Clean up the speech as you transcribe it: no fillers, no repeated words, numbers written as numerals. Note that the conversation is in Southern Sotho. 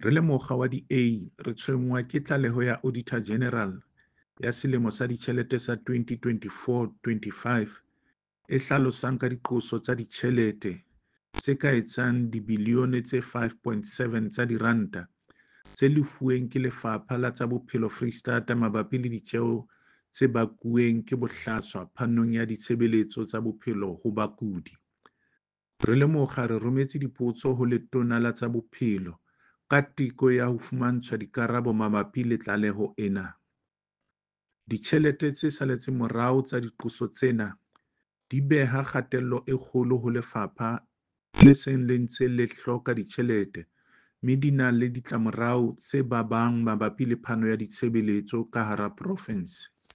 Re le mokga wa DA re tshwenngwa ke tlaleho ya Auditor General ya selemo sa ditjhelete sa 2024-25 e hlalosang ka diqoso tsa ditjhelete tse ka etsang dibilione tse 5.7 tsa diranta tse lefuweng ke Lefapha la tsa Bophelo Freistata mabapi le ditjeo tse bakuweng ke bohlaswa phanong ya ditshebeletso tsa bophelo ho bakudi. Re le mokga re rometse dipotso ho Letona la tsa Bophelo ka teko ya ho fumantshwa dikarabo mabapi le tlaleho ena. Ditjhelete tse saletseng morao tsa diqoso tsena di beha kgatello e kgolo ho lefapha le seng le ntse le hloka ditjhelete mme di na le ditlamorao tse babang mabapi le phano ya ditshebeletso ka hara profense.